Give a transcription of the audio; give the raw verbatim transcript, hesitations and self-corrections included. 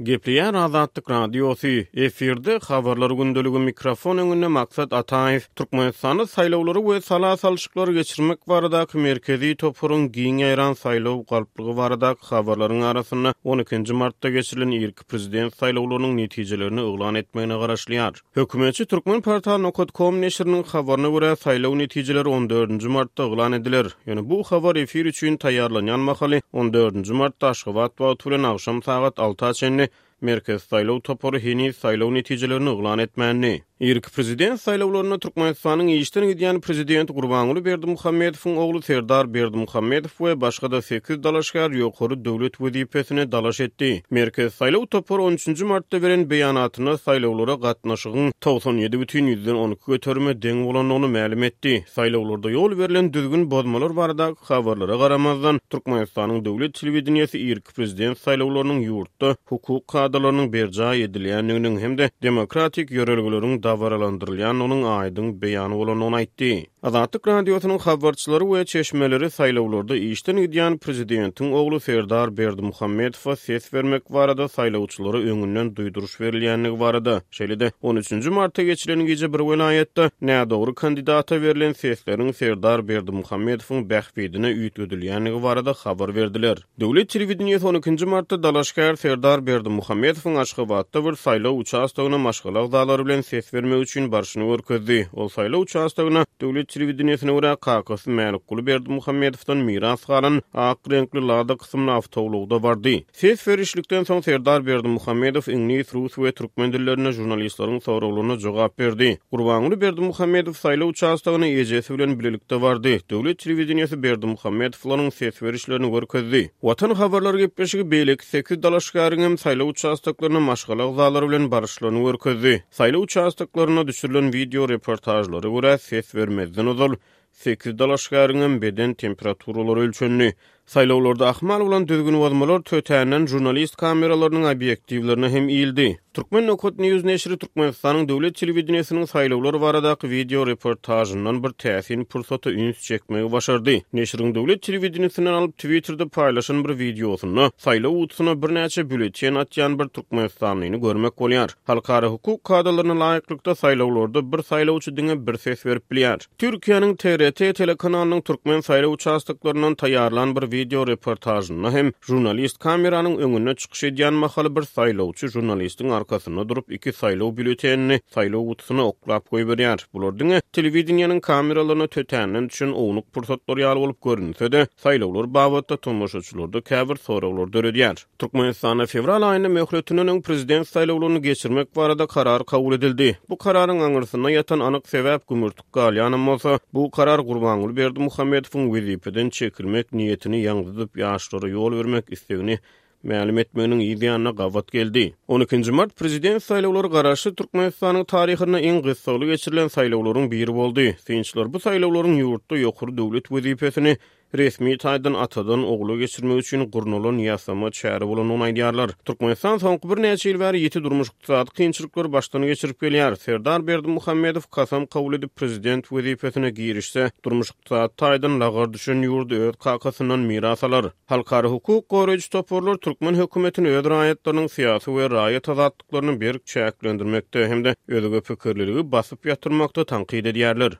Gepleýär Azatlyk Radiosy, efirde Habarlar gündeligi, mikrofon öňünde Maksat Ataýew. Türkmenistanda saýlawlary we sala salşyklary geçirmek baradaky merkezi toparyň giň ýaýran saýlaw galplygy baradaky habarlaryň arasynda on ikinji martda geçirilen irki prezident saýlawlarynyň netijelerini yglan etmegine garaşylýar. Hökümetçi Turkmenportal.com neşiriniň habaryna görä, saýlaw netijeleri on dördünji martda yglan ediler. Ýöne bu habar efir üçin taýýarlanýan mahaly on dördünji martda Aşgabat wagty bilen agşam sagat alta çenli Merkez saýlaw topary heniz saýlaw netijelerini yglan etmändi. Irki prezident saýlawlarynda Türkmenistanyň işden gidýän prezidenti Gurbanguly Berdimuhamedowyň ogly Serdar Berdimuhamedow we başga-da sekiz dalaşgär ýokary döwlet wezipesine dalaş etdi. Merkez saýlaw topary on üçünji martda beren beýanatynda saýlawlara gatnaşygyň togsan ýedi bütin ýüzden on iki göterime deň bolandygyny mälim etdi. Saýlawlarda ýol berlen düzgün bozmalar baradaky habarlara garamazdan, Türkmenistanyň döwlet telewideniýesi irki prezident saýlawlarynyň ýurtda hukuk kadalarynyň berjaý edilýändiginiň hem-de demokratik ýörelgeleriň dabaralandyrylýandygynyň aýdyň beýany bolandygyny aýtdy. Azatlyk Radiosynyň habarçylary we çeşmeleri saýlawlarda işden gidýän prezidentiň ogly Serdar Berdimuhamedowa ses bermek barada saýlawçylara öňünden duýduryş berilýändigi barada, şeýle-de on üçünji martda geçirilen gije bir welaýatda nädogry kandidata berlen sesleriň Serdar Berdimuhamedowyň bähbidine üýtgedilýändigi barada habar berdiler. Döwlet telewideniýesi on ikinji martda dalaşgär Serdar Berdimuhamedowyň Aşgabatda bir saýlaw uçastogyna maşgala agzalary bilen ses bermek üçin barşyny görkezdi. Ol saýlaw uçastogyna döwlet telewideniýesine görä kakasy Mälikguly Berdimuhamedowdan miras galan ak reňkli Lada kysymly awtoulagda bardy. Ses berişlikden soň Serdar Berdimuhamedow iňlis, rus we türkmen dillerinde žurnalistleriň soraglaryna jogap berdi. Gurbanguly Berdimuhamedow saýlaw uçastogyna ejesi bilen bilelikde bardy. Döwlet telewideniýesi Berdimuhamedowlaryň ses berişlerini görkezdi. Watan habarlar gepleşigi beýleki sekiz dalaşgäriň hem saýlaw uçastoklaryna maşgala agzalary bilen baryşlaryny görkezdi. Saýlaw uçastoklaryna düşürilen video reportajlara görä ses bermezden ozal sekiz dalaşgäriň hem beden temperaturalary ölçendi. Saýlawlarda ahmal bolan düzgün bozmalar tötänden žurnalist kameralarynyň obýektiwlerine hem iýildi. Türkmen Nokat News neşiri Türkmenistanyň döwlet telewideniýesiniň saýlawlar baradaky video reportajyndan bir täsin pursata üns çekmegi başardy. Neşiriň döwlet telewideniýesinden alyp Twitterde paýlaşan bir wideosynda saýlaw gutusyna birnäçe bülleten atýan bir türkmenistanlyny görmek bolýar. Halkara hukuk kadalaryna laýyklykda saýlawlarda bir saýlawçy diňe bir ses berip bilýär. Türkiýäniň T R T telekanalynyň türkmen saýlaw uçastoklaryndan taýýarlan bir video reportajynda hem žurnalist kameranyň öňünde çykyş edýän mahaly bir saýlawçy žurnalistiň arkasynda durup iki saýlaw bülletenini saýlaw gutusyna oklap goýberýär. Bular diňe telewideniýäniň kameralaryna tötänden düşen ownuk pursatlar ýaly bolup görünse-de, saýlawlar babatda tomaşaçylarda käbir soraglar döredýär. Türkmenistanda fewral aýynda möhletinden öň prezident saýlawlaryny geçirmek barada karar kabul edildi. Bu kararyň aňyrsynda ýatan anyk sebäp gümürtik galýanam bolsa, bu karar Gurbanguly Berdimuhamedowyň wezipeden çekilmek niýetini ýaňzydyp ýaşlara ýol bermek istegini mälim etmeginiň yz ýanyna gabat geldi. on ikinji mart prezident saýlawlary garaşsyz Türkmenistanyň taryhynda iň gyssagly geçirilen saýlawlaryň biri boldy. Synçylar bu saýlawlaryň ýurtda ýokary döwlet wezipesini resmi taýdan atadan ogula geçirmek üçin gurnalan ýasama çäre bolandygyny aýdýarlar. Türkmenistan soňky birnäçe ýyl bäri ýiti durmuş ykdysady kynçylyklary başdan geçirip gelýär. Serdar Berdimuhamedow kasam kabul edip prezident wezipesine girişse, durmuş ykdysady taýdan lagar düşen ýurdy öz kakasyndan miras alar. Halkara hukuk goraýjy toparlar türkmen hökümetini öz raýatlarynyň syýasy we raýat azatlyklaryny berk çäklendirmekde hem-de özge pikirliligi basyp ýatyrmakda tankyt edýärler.